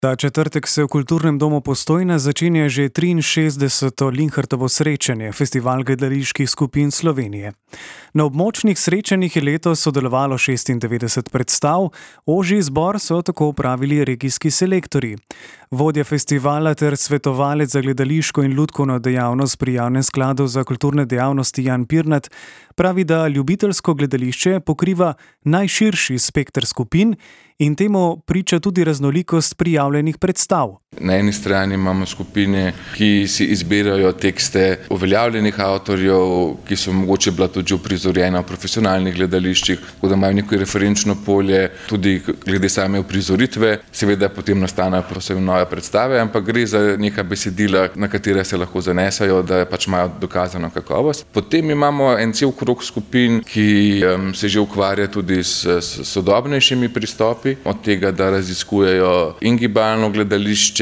Ta četrtek se v Kulturnem domu Postojna začenja že 63. Linhartovo srečanje, festival gledaliških skupin Slovenije. Na območnih srečanjih je letos sodelovalo 96 predstav, ožji izbor so tako opravili regijski selektorji. Vodja festivala ter svetovalec za gledališko in lutkovno dejavnost pri Javnem skladu za kulturne dejavnosti Jan Pirnat pravi, da ljubiteljsko gledališče pokriva najširši spekter skupin in temu priča tudi raznolikost prijavljenih predstav. Na eni strani imamo skupine, ki si izbirajo tekste uveljavljenih avtorjev, ki so mogoče bila tudi uprizorjena v profesionalnih gledališčih, tako da imajo neko referenčno polje tudi glede same uprizoritve. Seveda potem nastanejo posebno nove predstave, ampak gre za neka besedila, na katere se lahko zanesajo, da pač imajo dokazano kakovost. Potem imamo en cel krog skupin, ki se že ukvarja tudi s sodobnejšimi pristopi, od tega, da raziskujejo in gibalno gledališče,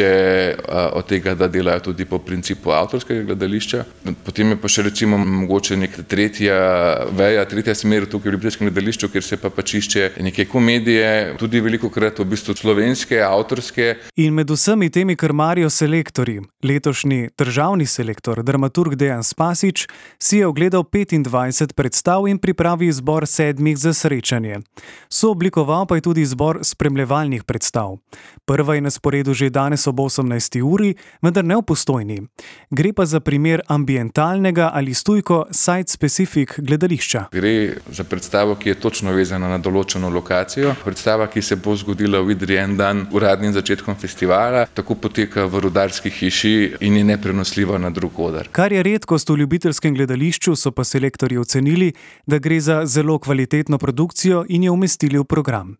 od tega, da delajo tudi po principu avtorskega gledališča. Potem je pa še recimo mogoče neka tretja smer tukaj v ljubiteljskem gledališču, kjer se pač išče neke komedije, tudi velikokrat v bistvu slovenske, avtorske. In med vsemi temi krmarijo selektorji. Letošnji državni selektor, dramaturg Dejan Spasič, si je ogledal 25 predstav in pripravi izbor 7 za srečanje. Sooblikoval pa je tudi izbor spremljevalnih predstav. Prva je na sporedu že danes ob 18. uri, vendar ne v Postojni. Gre pa za primer ambientalnega ali stujko site-specific gledališča. Gre za predstavo, ki je točno vezana na določeno lokacijo. Predstava, ki se bo zgodila v Idriji en dan uradnim začetkom festivala, tako poteka v Rudarski hiši in je neprenosljiva na drug oder. Kar je redkost v ljubiteljskem gledališču, so pa selektorji ocenili, da gre za zelo kvalitetno produkcijo in jo umestili v program.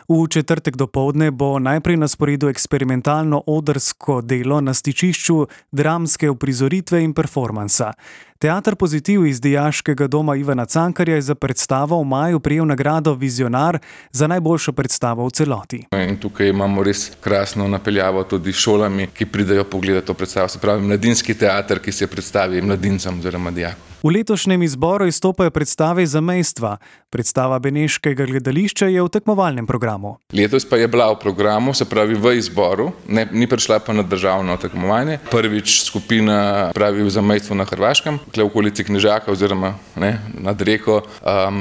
V četrtek dopoldne bo najprej na sporedu eksperimentalno odrsko delo na stičišču dramske uprizoritve in performansa. Teater Pozitiv iz Dijaškega doma Ivana Cankarja je za predstavo v maju prejel nagrado Vizionar za najboljšo predstavo v celoti. In tukaj imamo res krasno napeljavo tudi s šolami, ki pridejo pogledati to predstavo. Se pravi, mladinski teater, ki se predstavi mladincem oziroma dijakom. V letošnjem izboru izstopajo predstave zamejstva. Predstava Beneškega gledališča je v tekmovalnem programu. Letos pa je bila v programu, se pravi v izboru, ni prišla pa na državno tekmovanje. Prvič skupina pravi v zamejstvu na Hrvaškem, tukaj v okolici Knežaka oziroma nad reko,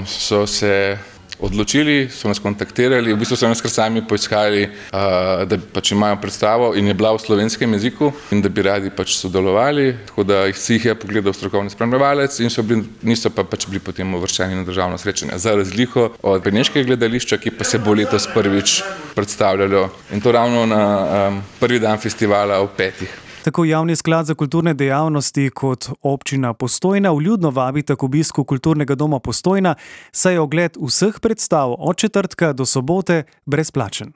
so se odločili, so nas kontaktirali, v bistvu so nas kar sami poiskali, da pač imajo predstavo in je bila v slovenskem jeziku in da bi radi pač sodelovali, tako da si jih je pogledal strokovni spremljevalec in niso pa pač bili potem uvrščeni na državno srečanje. Za razliko od Beneškega gledališča, ki pa se bo letos prvič predstavljalo in to ravno na prvi dan festivala ob 5. Tako Javni sklad za kulturne dejavnosti kot občina Postojna vljudno vabita k obisku Kulturnega doma Postojna, saj je ogled vseh predstav od četrtka do sobote brezplačen.